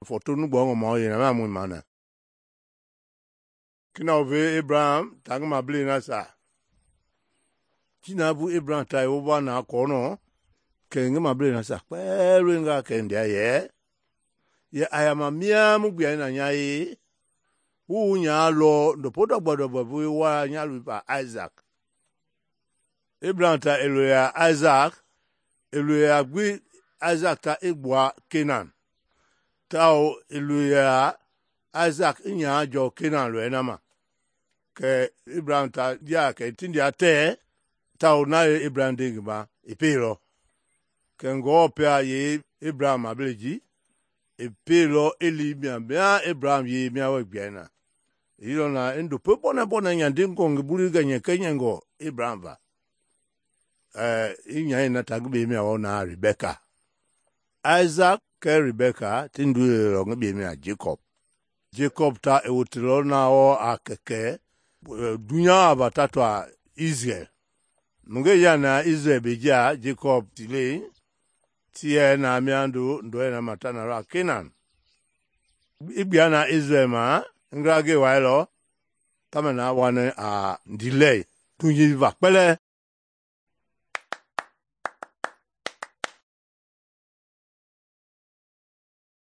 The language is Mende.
fɔtonu gbɔngɔ ma yɛ na mu mana. Kina ve Abraham ta ngi mablei na sa. Ji na bu Abraham ta yewoba na kɔnɔ kɛ ngi mablei na sa kpɛlɛnga kɛ ndia yɛ ayama mia mu gbia na nya ye wu nya lɔ ndopo dɔgbɔ bu wa nya lu pa Isaac. Abraham ta eloya Isaac eloya gbi Isaac ta egbua Canaan. Tao eloya Isaac nya jɔ Canaan lɔ na ma. Kɛ Abraham ta dia kɛ tindia tɛ tao na ye Abraham de ngi ma epelɔ. Kɛ ngɔɔ pia ye Abraham mablei ji epelɔ eli mia Abraham ye mia wɛ gbia na. Yilɔ na ndopo bɔnɛ nya dingɔ ngi buli gɛnyɛ kɛnyɛngɔ Abraham va. Inya na ta ngi mia wɔ na Rebecca. Isaac kɛ Rebecca ti ndu lɔ ngi mia Jacob. Jacob ta ewotelɔ na wɔ a kɛkɛ dunya ava tatwa Israel. Nunge ya na Israel beja Jacob tile tie na miandu ndo na mata na ra Canaan. Ibia na Israel ma ngrage wailɔ kama na wane a delay tunji va kpɛlɛ